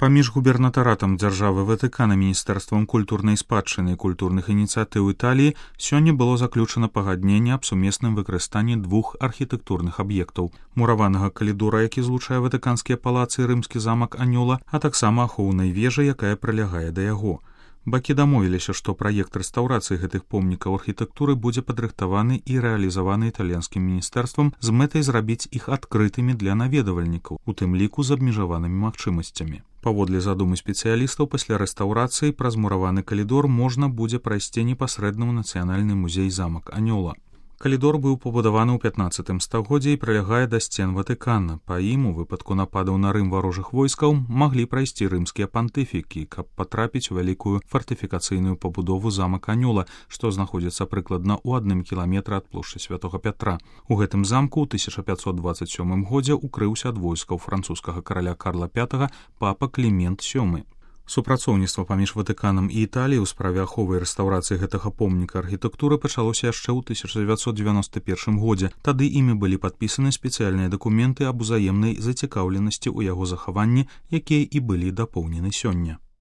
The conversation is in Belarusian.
Паміж губернатаратам дзяржавы Ватыкана, Міністэрствам культурнай спадчыны і культурных ініцыятыў Італіі сёння было заключана пагадненне аб сумесным выкарыстанні двух архітэктурных аб'ектаў: мураванага калідора, які злучае ватыканскія палацы і рымскі замак Анёла, а таксама ахоўнай вежы, якая прылягае да яго. Бакі дамовіліся, што праект рэстаўрацыі гэтых помнікаў архітэктуры будзе падрыхтаваны і рэалізаваны італьянскім міністэрствам з мэтай зрабіць іх адкрытымі для наведвальнікаў, у тым ліку з абмежаванымі магчымасцямі. Паводле задумы спецыялістаў, пасля рэстаўрацыі праз мураваны калідор можна будзе прайсці непасрэдна ў нацыянальны музей замак Анёла. Калідор быў пабудаваны ў 15 стагоддзі і прылягае да сцен Ватыкана. Па ім у выпадку нападаў на Рым варожых войскаў маглі прайсці рымскія пантыфікі, каб патрапіць у вялікую фартыфікацыйную пабудову замак Анёла, што знаходзіцца прыкладна ў 1 кіламетры ад плошчы Святога Пятра. У гэтым замку ў 1527 годзе укрыўся ад войскаў французскага караля Карла V папа Клімент VII. Супрацоўніцтва паміж Ватыканам і Італіяй у справе аховы і рэстаўрацыі гэтага помніка архітэктуры пачалося яшчэ ў 1991 годзе. Тады імі былі падпісаны спецыяльныя дакументы аб узаемнай зацікаўленасці ў яго захаванні, якія і былі дапоўнены сёння.